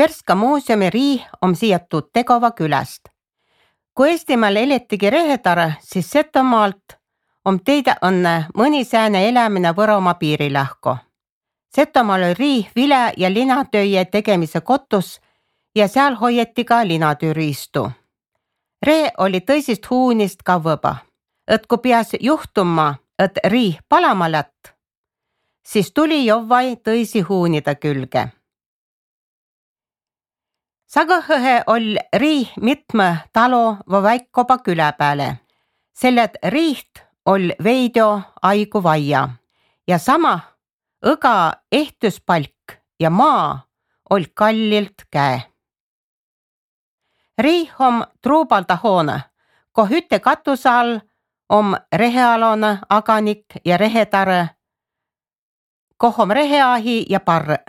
Värska muuseumi riih on siiatud Tegova külast. Kui Eestimaal eletigi rehetare, siis Setomaalt on teida õnne mõni sääne elämine Võromaa piirilähko. Setomaal oli riih vile- ja linatööje tegemise kotus ja seal hoieti ka linatööriistu. Rehe oli tõsist huunist kavvõba, et kui peas juhtuma, et riih palama lätt, siis tuli jovvai tõisi huunida külge. Sagõhõhe oli riih mitme talo või väikkoba külä pääle, selle et riiht oli veidio aigu vaia ja sama õga ehtuspalk ja maa oli kallilt käe. Riih on truubalda hoone, ko hütte katuse all on rehealone aganik ja rehetare, koh on reheahi ja parre.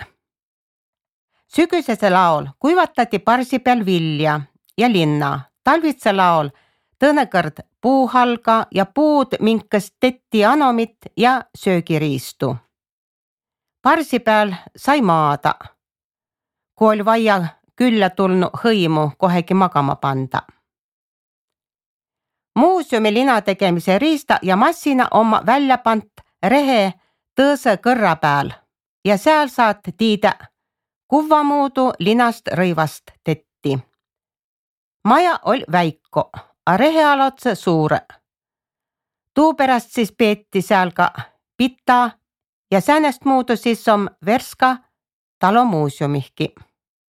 Sügüsese laol kuivatati parsi peal vilja ja linna, talvitse laol tõnekõrd puuhalga ja puud minkas tetti anomit ja söögiriistu. Parsi peal sai maada, kui oli vaja külla tulnu hõimu kohegi magama panda. Muuseumi lina tegemise riista ja massina on välja pant rehe tõõse kõrra peal ja seal saad tiida kuvvamuudu linast rõivast tetti. Maja oli väiko, a rehealotse suure. Tuupärast siis peeti seal ka pita ja säänest muudu siis on Värska talo muuseumihki.